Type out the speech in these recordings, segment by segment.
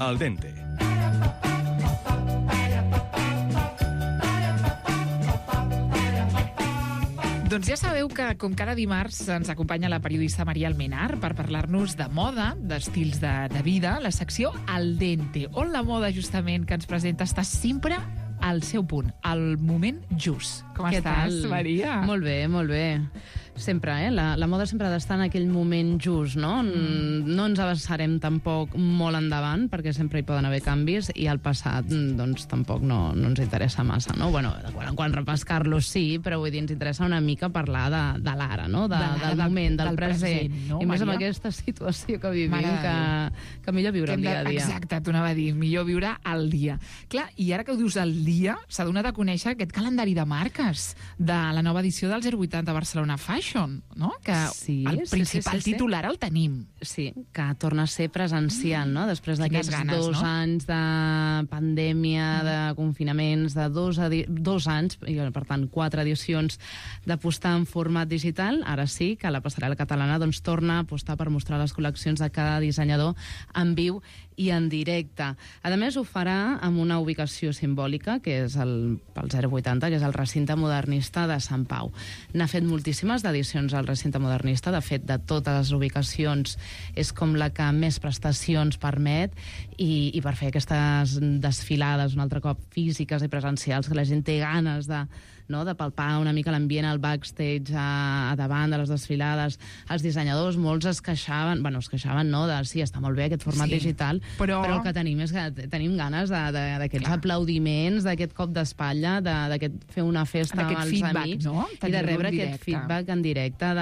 Al dente. Doncs ja sabeu que, com cada dimarts, ens acompanya la periodista Maria Almenar per parlar-nos de moda, d'estils de vida, la secció Al dente, on la moda, justament, que ens presenta està sempre al seu punt, al moment just. Com estàs, Maria? Molt bé, molt bé. Sempre, la moda sempre ha d'estar en aquell moment just, no? No ens avançarem tampoc molt endavant, perquè sempre hi poden haver canvis, i el passat, doncs, tampoc no ens interessa massa, no? Bueno, de quan en quan repescar-lo sí, però vull dir, ens interessa una mica parlar de l'ara, no? Del moment, del present. No, I més amb aquesta situació que vivim, que millor viure el dia a dia. Exacte, t'ho anava a dir, millor viure el dia. Clar, i ara que ho dius el dia, s'ha donat a conèixer aquest calendari de marques de la nova edició del 080 Barcelona Fashion, no? Que sí, el principal titular el tenim. Sí, que torna a ser presencial, no? Després d'aquests 2 anys de pandèmia, de confinaments, de 2 anys, i per tant 4 edicions d'apostar en format digital, ara sí que la passarel·la catalana doncs torna a apostar per mostrar les col·leccions de cada dissenyador en viu i en directe. A més, ho farà amb una ubicació simbòlica, que és pel 080, que és el recinte modernista de Sant Pau. N'ha fet moltíssimes d'edicions al recinte modernista, de fet, de totes les ubicacions és com la que més prestacions permet, i per fer aquestes desfilades un altre cop físiques i presencials, que la gent té ganes de palpar una mica l'ambient al backstage, a davant de les desfilades. Els dissenyadors, molts es queixaven, sí, està molt bé aquest format digital, però el que tenim és que tenim ganes d'aquests aplaudiments, d'aquest cop d'espatlla, d'aquest fer una festa amb els amics, i de rebre aquest feedback en directe,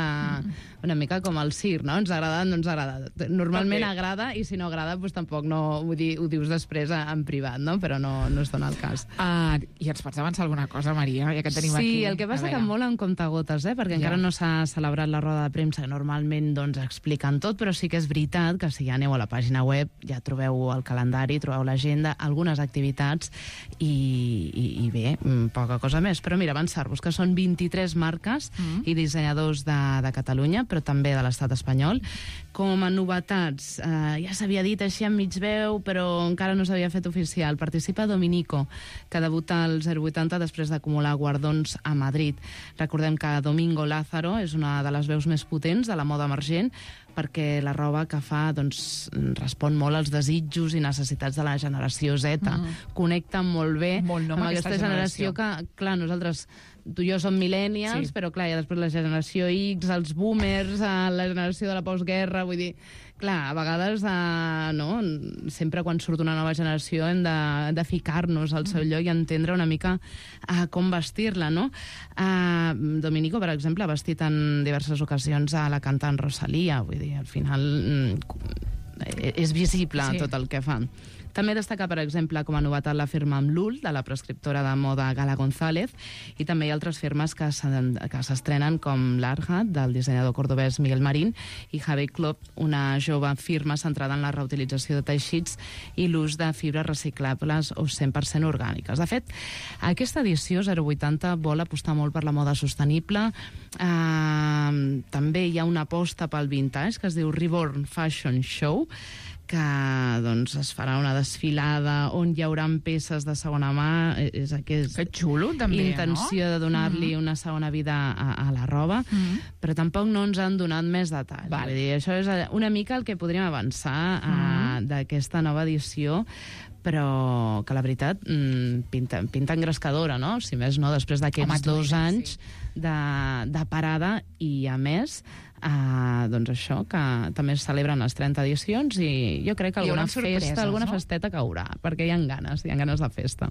una mica com el circ, no? Ens ha agradat, no ens ha agradat. Normalment agrada, i si no agrada, doncs tampoc ho dius després en privat, no? Però no es dona el cas. I ens pots avançar alguna cosa, Maria, ja que tenim aquí? Sí, el que passa que molt en comptagotes, perquè encara no s'ha celebrat la roda de premsa, que normalment expliquen tot, però sí que és veritat que si ja aneu a la pàgina web ja trobeu el calendari, trobeu l'agenda, algunes activitats i bé, poca cosa més. Però mira, avançar-vos que són 23 marques i dissenyadors de Catalunya, però també de l'estat espanyol. Com a novetats, ja s'havia dit així en mig veu, però encara no s'havia fet oficial. Participa Dominico, que debuta al 080 després d'acumular guardons a Madrid. Recordem que Domingo Lázaro és una de les veus més potents de la moda emergent, perquè la roba que fa respon molt als desitjos i necessitats de la generació Z. Connecta molt bé amb aquesta generació que, clar, nosaltres, tu i jo som millennials, però clar, i després la generació X, els boomers, la generació de la postguerra, vull dir, clar, a vegades sempre quan surt una nova generació hem de ficar-nos al seu lloc i entendre una mica com vestir-la, no? Dominico, per exemple, ha vestit en diverses ocasions a la cantant Rosalía, vull dir, al final és visible tot el que fa. També destaca, per exemple, com a novetat la firma amb l'UL, de la prescriptora de moda Gala González, i també hi ha altres firmes que s'estrenen, com l'Arhat, del dissenyador cordobès Miguel Marín, i Javi Club, una jove firma centrada en la reutilització de teixits i l'ús de fibres reciclables o 100% orgàniques. De fet, aquesta edició 080 vol apostar molt per la moda sostenible. També hi ha una aposta pel vintage, que es diu Reborn Fashion Show, que es farà una desfilada on hi haurà peces de segona mà. És aquesta intenció de donar-li una segona vida a la roba, però tampoc no ens han donat més detalls. Vull dir, això és una mica el que podríem avançar d'aquesta nova edició, però que la veritat pinta engrescadora, no? Si més no, després d'aquests 2 anys de parada, i a més doncs això, que també es celebren les 30 edicions, i jo crec que alguna festa, alguna festeta caurà, perquè hi ha ganes de festa.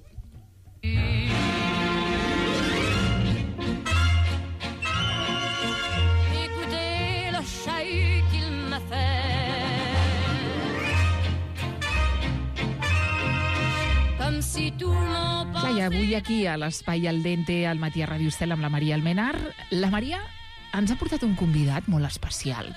Clar, i avui aquí a l'Espai Al Dente, al Matí a Ràdio Estel, amb la Maria Almenar, la Maria ens ha portat un convidat molt especial,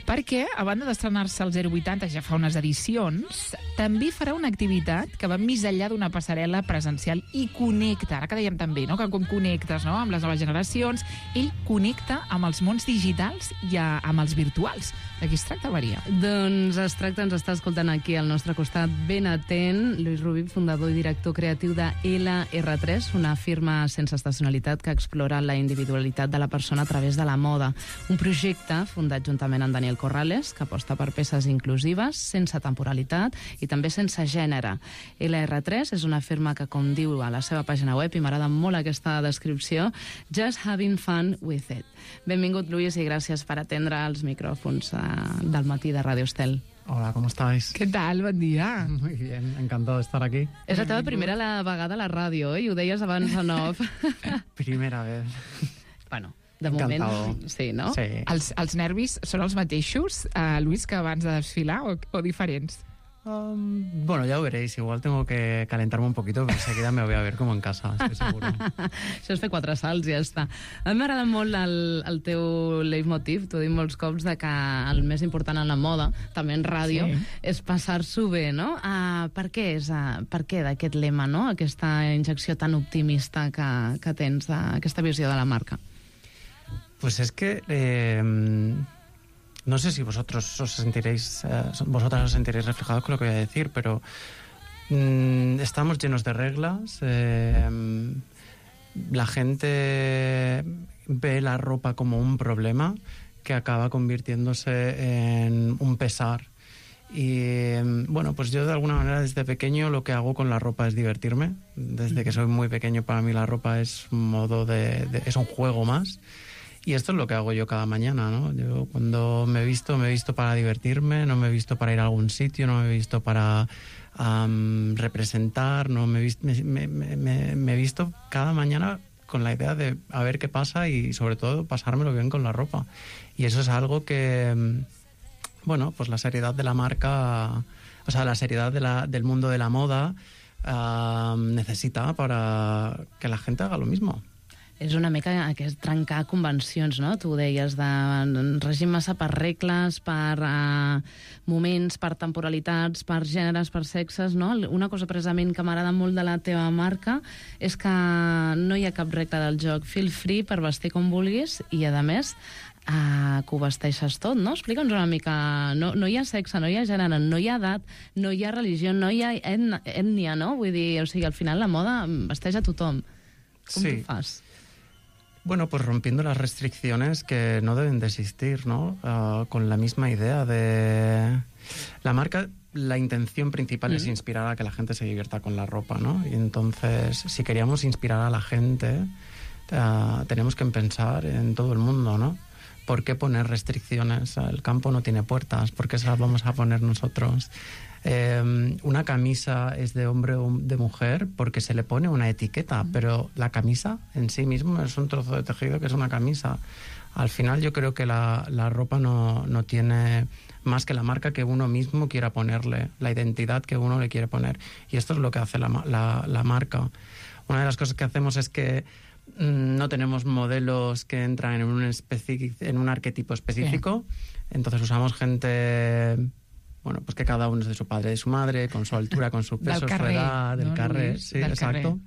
perquè, a banda d'estrenar-se al 080 ja fa unes edicions, també farà una activitat que va més enllà d'una passarel·la presencial i connecta, ara que dèiem també, no? Que com connectes, no? Amb les noves generacions, ell connecta amb els mons digitals i amb els virtuals. De qui es tracta, Maria? Doncs es tracta, ens està escoltant aquí al nostre costat, ben atent, Lluís Rubí, fundador i director creatiu de LR3, una firma sense estacionalitat que explora la individualitat de la persona a través de la moda. Un projecte fundat juntament amb Daniel Corrales, que aposta per peces inclusives, sense temporalitat i també sense gènere. LR3 és una firma que, com diu a la seva pàgina web, i m'agrada molt aquesta descripció, just having fun with it. Benvingut, Lluís, i gràcies per atendre els micròfons del matí de Radio Estel. Hola, ¿cómo estáis? Què tal? Bon dia. Muy bien, encantado de estar aquí. És la teva primera vegada a la ràdio, i ho deies abans en off. Primera vez. Bueno, de Encantado. moment, sí, no? Sí. Els nervis són els mateixos, Lluís, que abans de desfilar o diferents? Bueno, ya lo veréis. Igual tengo que calentarme un poquito, pero enseguida me voy a ver como en casa, estoy seguro. Això és fer 4 salts i ja està. A mi m'agrada molt el teu leitmotiv, t'ho dic molts cops, de que el més important en la moda, també en ràdio, és passar-s'ho bé, no? Per què d'aquest lema, no? Aquesta injecció tan optimista que tens, aquesta visió de la marca? Pues es que no sé si vosotras os sentiréis reflejados con lo que voy a decir, pero estamos llenos de reglas. La gente ve la ropa como un problema que acaba convirtiéndose en un pesar. Y bueno, pues yo de alguna manera desde pequeño lo que hago con la ropa es divertirme. Desde que soy muy pequeño, para mí la ropa es un modo es un juego más. Y esto es lo que hago yo cada mañana, ¿no? Yo cuando me he visto para divertirme, no me he visto para ir a algún sitio, no me he visto para representar, no me he visto cada mañana con la idea de a ver qué pasa y sobre todo pasármelo bien con la ropa. Y eso es algo que, bueno, pues la seriedad de la marca, o sea, la seriedad del mundo de la moda necesita para que la gente haga lo mismo. És una mica aquest trencar convencions, no? Tu ho deies, de regim massa per regles, per moments, per temporalitats, per gèneres, per sexes, no? Una cosa precisament que m'agrada molt de la teva marca és que no hi ha cap regla del joc. Feel free per vestir com vulguis i, a més, que ho vesteixes tot, no? Explica'ns una mica. No hi ha sexe, no hi ha gènere, no hi ha edat, no hi ha religió, no hi ha ètnia, no? Vull dir, o sigui, al final la moda vesteix a tothom. Com sí. tu fas? Bueno, pues rompiendo las restricciones que no deben de existir, ¿no? Con la misma idea de... La marca, la intención principal es inspirar a que la gente se divierta con la ropa, ¿no? Y entonces, si queríamos inspirar a la gente, tenemos que pensar en todo el mundo, ¿no? ¿Por qué poner restricciones? El campo no tiene puertas, ¿por qué se las vamos a poner nosotros? Una camisa es de hombre o de mujer porque se le pone una etiqueta, pero la camisa en sí mismo es un trozo de tejido que es una camisa. Al final yo creo que la ropa no tiene más que la marca que uno mismo quiera ponerle, la identidad que uno le quiere poner. Y esto es lo que hace la marca. Una de las cosas que hacemos es que no tenemos modelos que entran en un arquetipo específico, entonces usamos gente... Bueno, pues que cada uno es de su padre y de su madre, con su altura, con su peso, su edad, del carrer. Sí, exacto.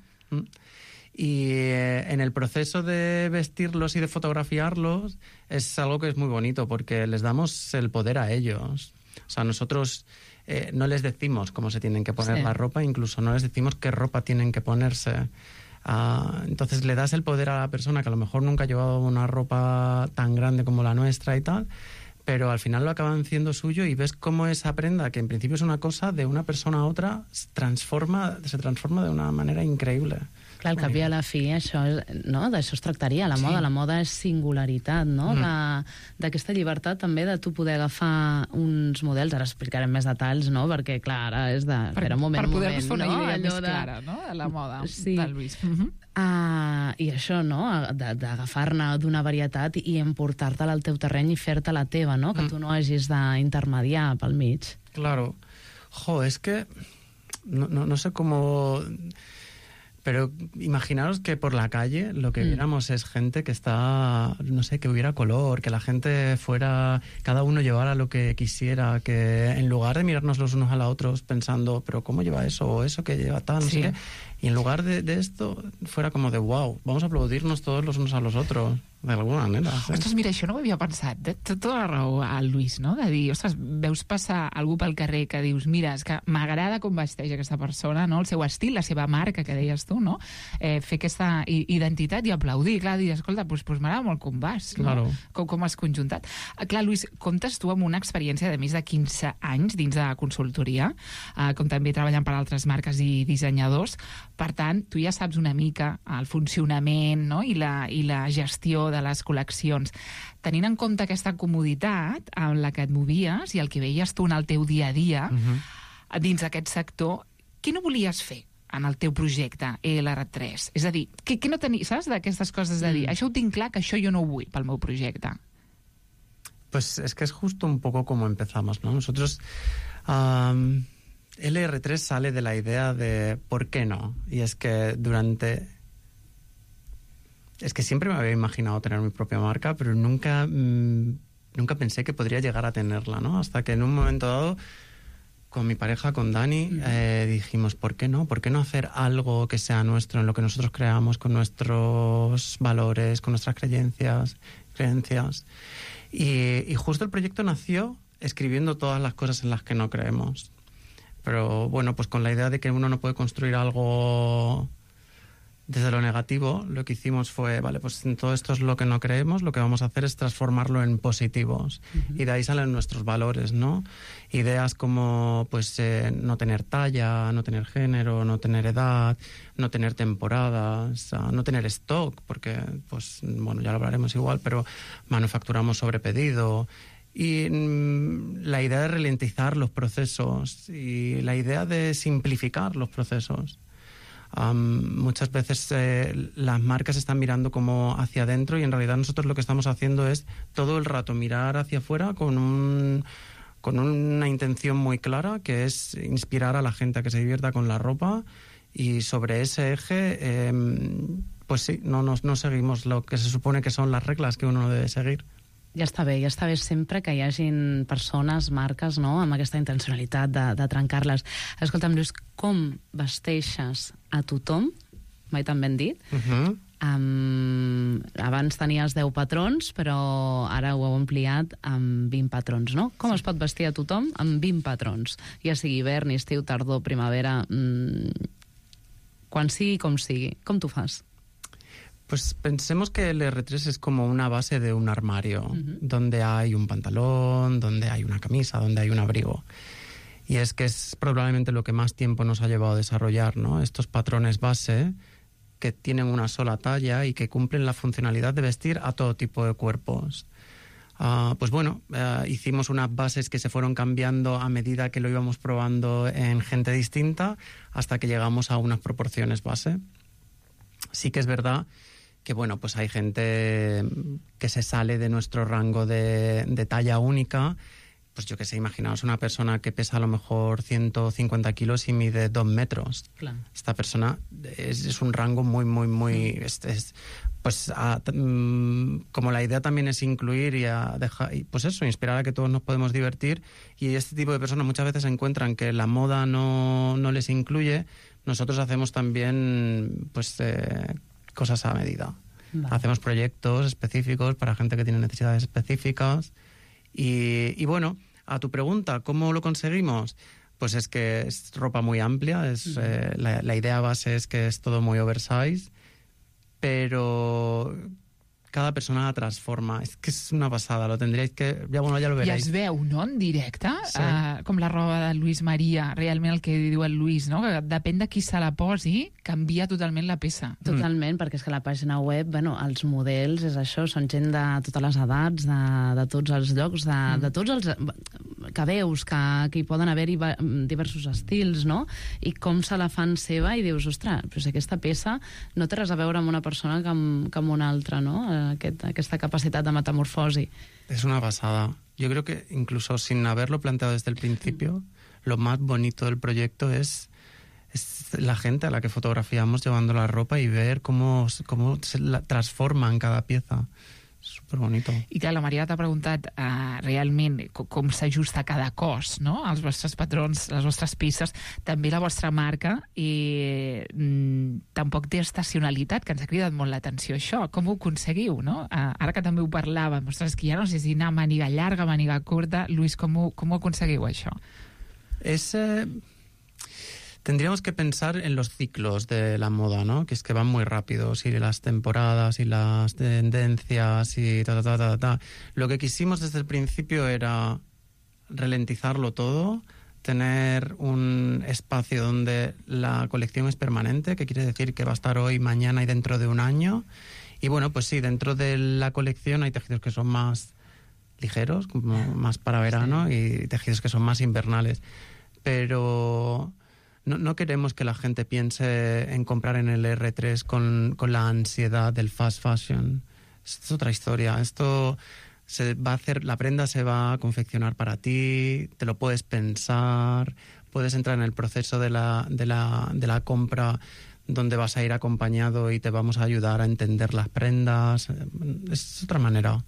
Y en el proceso de vestirlos y de fotografiarlos es algo que es muy bonito porque les damos el poder a ellos. O sea, nosotros no les decimos cómo se tienen que poner la ropa, incluso no les decimos qué ropa tienen que ponerse. Entonces le das el poder a la persona que a lo mejor nunca ha llevado una ropa tan grande como la nuestra y tal, pero al final lo acaban haciendo suyo y ves cómo esa prenda, que en principio es una cosa, de una persona a otra se transforma de una manera increïble. Clar, al cap i a la fi, això, no? D'això es tractaria, la moda. La moda és singularitat, no? D'aquesta llibertat també de tu poder agafar uns models, ara explicarem més detalls, no? Perquè, clar, ara és de... Per poder-vos fer una idea més clara, no?, de la moda de Lluís. I això, no?, d'agafar-ne d'una varietat i emportar-te-la al teu terreny i fer-te la teva, no?, que tu no hagis d'intermediar pel mig. Claro. Jo, es que no sé cómo... Pero imaginaros que por la calle lo que viéramos es gente que está, no sé, que hubiera color, que la gente fuera, cada uno llevara lo que quisiera, que en lugar de mirarnos los unos a los otros pensando, pero ¿cómo lleva eso? O eso que lleva tal, no sé qué. Y en lugar de esto, fuera como de wow, vamos a aplaudirnos todos los unos a los otros, de alguna manera. Sí. Ostres, mira, això no ho havia pensat. Té tota la raó al Lluís, no? De dir, ostres, veus passar algú pel carrer que dius, mira, és que m'agrada com vesteix aquesta persona, no? El seu estil, la seva marca, que deies tu, no? Fer aquesta identitat i aplaudir, clar, dir, escolta, doncs m'agrada molt com vas, no? Claro. Com has conjuntat. Clar, Lluís, comptes tu amb una experiència de més de 15 anys dins de consultoria, com també treballant per altres marques i dissenyadors. Per tant, tu ja saps una mica el funcionament, no? I la gestió de les col·leccions. Tenint en compte aquesta comoditat en la que et movies i el que veies tu en el teu dia a dia, dins d'aquest sector, què no volies fer en el teu projecte ELR3? És a dir, què no tenies, saps, d'aquestes coses de dir, això ho tinc clar, que això jo no ho vull pel meu projecte? Pues es que es justo un poco como empezamos, ¿no? Nosotros... LR3 sale de la idea de ¿por qué no? Y es que Es que siempre me había imaginado tener mi propia marca, pero nunca pensé que podría llegar a tenerla, ¿no? Hasta que en un momento dado, con mi pareja, con Dani, dijimos, ¿por qué no? ¿Por qué no hacer algo que sea nuestro, en lo que nosotros creamos, con nuestros valores, con nuestras creencias? Y justo el proyecto nació escribiendo todas las cosas en las que no creemos. Pero bueno, pues con la idea de que uno no puede construir algo desde lo negativo, lo que hicimos fue, vale, pues todo esto es lo que no creemos, lo que vamos a hacer es transformarlo en positivos. Y de ahí salen nuestros valores, ¿no? Ideas como, pues, no tener talla, no tener género, no tener edad, no tener temporadas, no tener stock, porque, pues, bueno, ya lo hablaremos igual, pero manufacturamos sobre pedido. Y la idea de ralentizar los procesos y la idea de simplificar los procesos. Muchas veces las marcas están mirando como hacia adentro y en realidad nosotros lo que estamos haciendo es todo el rato mirar hacia afuera con una intención muy clara, que es inspirar a la gente a que se divierta con la ropa, y sobre ese eje pues sí, no seguimos lo que se supone que son las reglas que uno debe seguir. Ja està bé sempre que hi hagin persones, marques, no?, amb aquesta intencionalitat de trencar-les. Escolta'm, Lluís, com vesteixes a tothom? Mai tan ben dit. Abans tenies 10 patrons, però ara ho heu ampliat amb 20 patrons, no? Com es pot vestir a tothom amb 20 patrons? Ja sigui hivern, estiu, tardor, primavera, quan sigui com sigui. Com t'ho fas? Pues pensemos que el R3 es como una base de un armario, donde hay un pantalón, donde hay una camisa, donde hay un abrigo. Y es que es probablemente lo que más tiempo nos ha llevado a desarrollar, ¿no? Estos patrones base que tienen una sola talla y que cumplen la funcionalidad de vestir a todo tipo de cuerpos. Pues bueno, hicimos unas bases que se fueron cambiando a medida que lo íbamos probando en gente distinta hasta que llegamos a unas proporciones base. Sí que es verdad que, bueno, pues hay gente que se sale de nuestro rango de talla única. Pues yo qué sé, imaginaos una persona que pesa a lo mejor 150 kilos y mide 2 metros. Claro. Esta persona es un rango muy... como la idea también es incluir y pues eso, inspirar a que todos nos podemos divertir, y este tipo de personas muchas veces encuentran que la moda no les incluye. Nosotros hacemos también pues cosas a medida. Vale. Hacemos proyectos específicos para gente que tiene necesidades específicas. Y bueno, a tu pregunta, ¿cómo lo conseguimos? Pues es que es ropa muy amplia, la idea base es que es todo muy oversize, pero cada persona la transforma. És que és una passada, lo tendríais que... Ja lo veréis. I es veu, no?, en directe, sí. Com la roba de Lluís Maria, realment el que diu el Lluís, no?, que depèn de qui se la posi, canvia totalment la peça. Totalment, perquè és que la pàgina web, bueno, els models, és això, són gent de totes les edats, de tots els llocs, de tots els... que veus, que hi poden haver-hi diversos estils, no?, i com se la fan seva, i dius, ostres, però si aquesta peça no té res a veure amb una persona que amb una altra, no?, aquesta capacitat de metamorfosi. Es una pasada. Yo creo que incluso sin haberlo planteado desde el principio, lo más bonito del proyecto es es la gente a la que fotografiamos llevando la ropa y ver cómo se la transforman cada pieza. Súper bonito. I clar, la Maria t'ha preguntat realment com s'ajusta cada cos, no? Els vostres patrons, les vostres peces, també la vostra marca, i tampoc té estacionalitat, que ens ha cridat molt l'atenció això. Com ho aconseguiu, no? Ara que també ho parlàvem, ostres, que ja no sé si anar màniga llarga, màniga curta. Luis, com ho aconseguiu això? Tendríamos que pensar en los ciclos de la moda, ¿no? Que es que van muy rápidos, y las temporadas y las tendencias y ta. Lo que quisimos desde el principio era ralentizarlo todo, tener un espacio donde la colección es permanente, que quiere decir que va a estar hoy, mañana y dentro de un año. Y bueno, pues sí, dentro de la colección hay tejidos que son más ligeros, como más para verano, y tejidos que son más invernales. Pero no queremos que la gente piense en comprar en el R3 con la ansiedad del fast fashion. Es otra historia. Esto se va a hacer, la prenda se va a confeccionar para ti, te lo puedes pensar, puedes entrar en el proceso de la compra, donde vas a ir acompañado y te vamos a ayudar a entender las prendas. Es otra manera.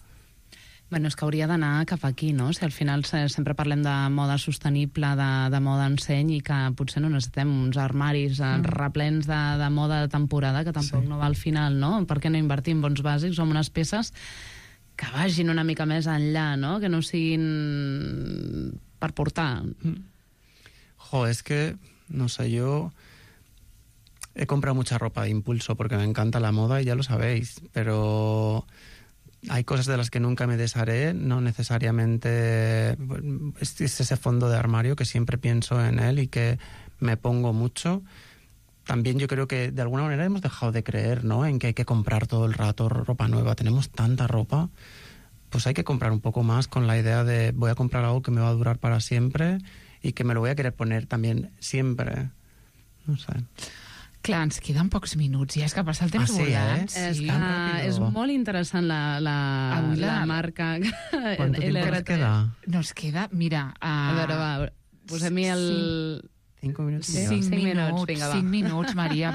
Bueno, és que hauria d'anar cap aquí, no? Si al final sempre parlem de moda sostenible, de moda enseny, i que potser no necessitem uns armaris replens de moda de temporada, que tampoc no va al final, no? Per què no invertir en bons bàsics o en unes peces que vagin una mica més enllà, no? Que no siguin per portar. Es que, no sé, yo he comprado mucha ropa de impulso porque me encanta la moda y ya lo sabéis, pero hay cosas de las que nunca me desharé, no necesariamente es ese fondo de armario que siempre pienso en él y que me pongo mucho. También yo creo que de alguna manera hemos dejado de creer, ¿no?, en que hay que comprar todo el rato ropa nueva. Tenemos tanta ropa, pues hay que comprar un poco más con la idea de voy a comprar algo que me va a durar para siempre y que me lo voy a querer poner también siempre. No sé. Clar, ens queden pocs minuts, ja és que passa el temps volant. És molt interessant la marca. ¿Cuánto tiempo nos queda? Nos queda, mira... A veure, va, posem-hi el... 5 minuts. 5 minuts, Maria,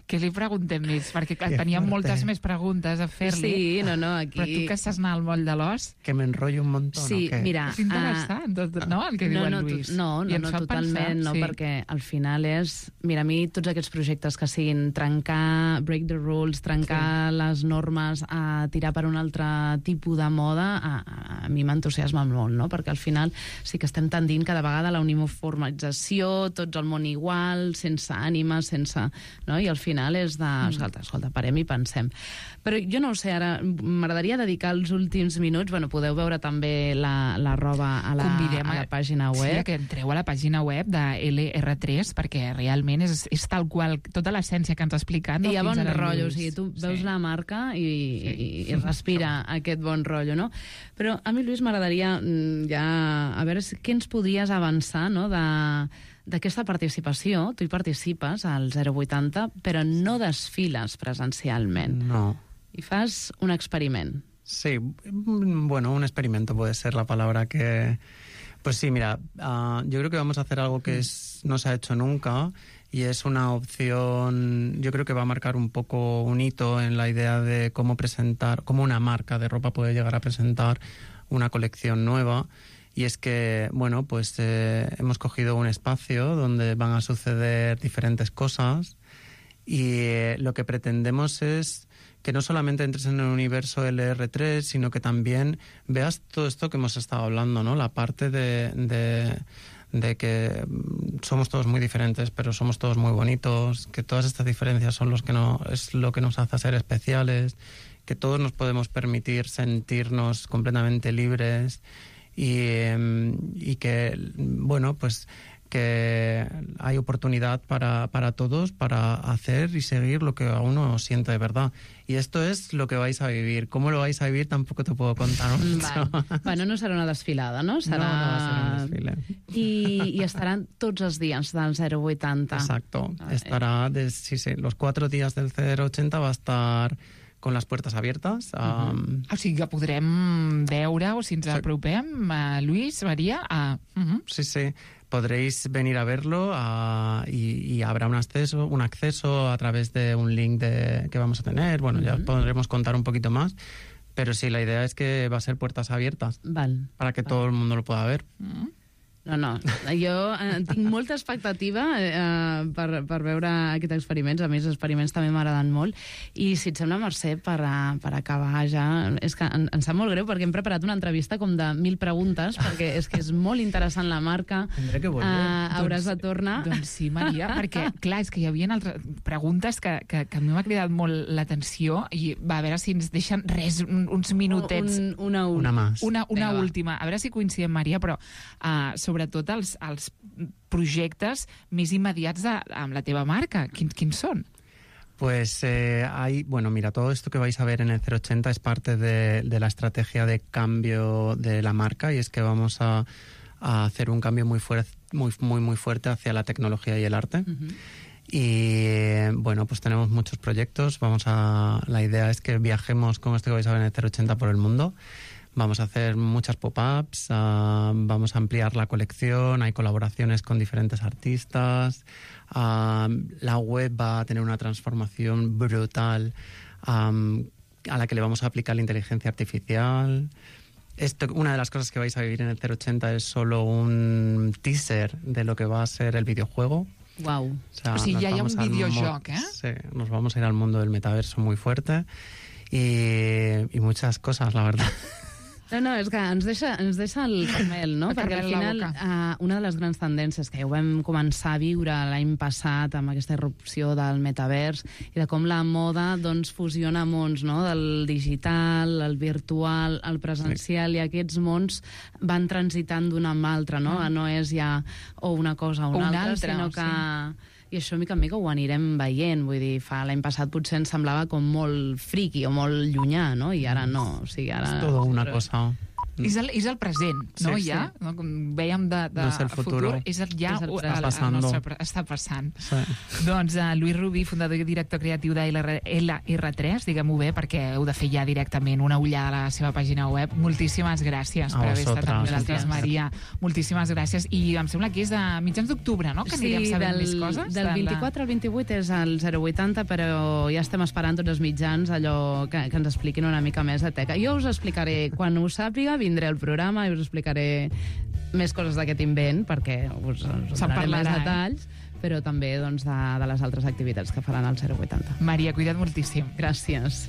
què li preguntem més? Perquè teníem moltes més preguntes a fer-li. Sí, no, aquí... Però tu que estàs anar al moll de l'os... Que m'enrotllo un montón, sí, o què? Mira... És interessant, no, el que diu el Lluís. No, totalment, no, perquè al final és... Mira, a mi tots aquests projectes que siguin trencar, break the rules, trencar les normes, tirar per un altre tipus de moda, a mi m'entusiasma molt, no? Perquè al final sí que estem tendint cada vegada a la uniformització, tots al món igual, sense ànima, sense... No? I al final és de... Escolta, parem i pensem. Però jo no ho sé, ara m'agradaria dedicar els últims minuts... Bueno, podeu veure també la roba a la pàgina web. Sí, que entreu a la pàgina web de LR3, perquè realment és tal qual, tota l'essència que ens ha explicat. I hi ha bon rotllo, o sigui, tu veus la marca i respira aquest bon rotllo, no? Però a mi, Lluís, m'agradaria ja... A veure, què ens podries avançar, no?, d'aquesta participació. Tu hi participes al 080, però no desfiles presencialment. No. Y fas un experiment. Sí, bueno, un experimento puede ser la palabra que... Pues sí, mira, yo creo que vamos a hacer algo que no se ha hecho nunca, y es una opción, yo creo que va a marcar un poco un hito en la idea de cómo una marca de ropa puede llegar a presentar una colección nueva. Y es que, bueno, pues hemos cogido un espacio donde van a suceder diferentes cosas, y lo que pretendemos es que no solamente entres en el universo LR3, sino que también veas todo esto que hemos estado hablando, ¿no? La parte de que somos todos muy diferentes, pero somos todos muy bonitos, que todas estas diferencias son es lo que nos hace ser especiales, que todos nos podemos permitir sentirnos completamente libres, y que, bueno, pues que hay oportunidad para todos para hacer y seguir lo que a uno siente de verdad. Y esto es lo que vais a vivir. ¿Cómo lo vais a vivir? Tampoco te puedo contar mucho. Bueno, no serà una desfilada, no? No va a ser un desfile. I estaran tots els dies del 080. Exacto. Estará, los 4 días del 080 va a estar con las puertas abiertas. O sigui que podrem veure, o si ens apropem, Lluís, Maria... Sí. podréis venir a verlo y habrá un acceso a través de un link que vamos a tener. Bueno, ya podremos contar un poquito más. Pero sí, la idea es que va a ser puertas abiertas para que todo el mundo lo pueda ver. No, jo tinc molta expectativa per veure aquests experiments. A mi els experiments també m'agraden molt. I si et sembla, Mercè, per acabar ja, és que em sap molt greu perquè hem preparat una entrevista com de 1000 preguntes, perquè és que és molt interessant la marca. Tindré que volver. Hauràs de tornar. Doncs sí, Maria, perquè, clar, és que hi havia altres preguntes que a mi m'ha cridat molt l'atenció i va, a veure si ens deixen uns minutets. Una última. A veure si coincidim, Maria, però sobretot els projectes més immediats amb la teva marca. Quins són? Pues mira, todo esto que vais a ver en el 080 es parte de la estrategia de cambio de la marca, y es que vamos a hacer un cambio muy fuerte hacia la tecnología y el arte. Y bueno, pues tenemos muchos proyectos. La idea es que viajemos con esto que vais a ver en el 080 por el mundo. Vamos a hacer muchas pop-ups, vamos a ampliar la colección, hay colaboraciones con diferentes artistas, la web va a tener una transformación brutal a la que le vamos a aplicar la inteligencia artificial. Una de las cosas que vais a vivir en el 080 es solo un teaser de lo que va a ser el videojuego. Wow. O sigui, ja hi ha un videojoc, Sí, nos vamos a ir al mundo del metaverso muy fuerte y muchas cosas, la verdad. No, és que ens deixa el camel, no? Perquè al final una de les grans tendències que ja ho vam començar a viure l'any passat amb aquesta irrupció del metavers i de com la moda doncs fusiona mons, no? Del digital, el virtual, el presencial, i aquests mons van transitant d'un amb l'altre, no? No és ja o una cosa o una altra, sinó que... I això, mica en mica, ho anirem veient. Vull dir, l'any passat potser ens semblava com molt friqui o molt llunyà, no? I ara no. O sigui, ara... És tot una cosa... És el present, no? Sí, ja? sí. No? Com vèiem de no és el futur, és ja està passant. Sí. Doncs Lluís Rubí, fundador i director creatiu de LR3, diguem-ho bé, perquè heu de fer ja directament una ullada a la seva pàgina web. Moltíssimes gràcies per haver estat amb nosaltres, Maria. Moltíssimes gràcies. I em sembla que és a mitjans d'octubre, no?, que anirem sabent més coses. Del 24 al 28 és el 080, però ja estem esperant tots els mitjans allò que ens expliquin una mica més de teca. Jo us explicaré, quan ho sàpiga, vindré al programa i us explicaré més coses d'aquest invent, perquè us donaré més detalls, però també doncs, de les altres activitats que faran al 080. Maria, cuida't moltíssim. Gràcies.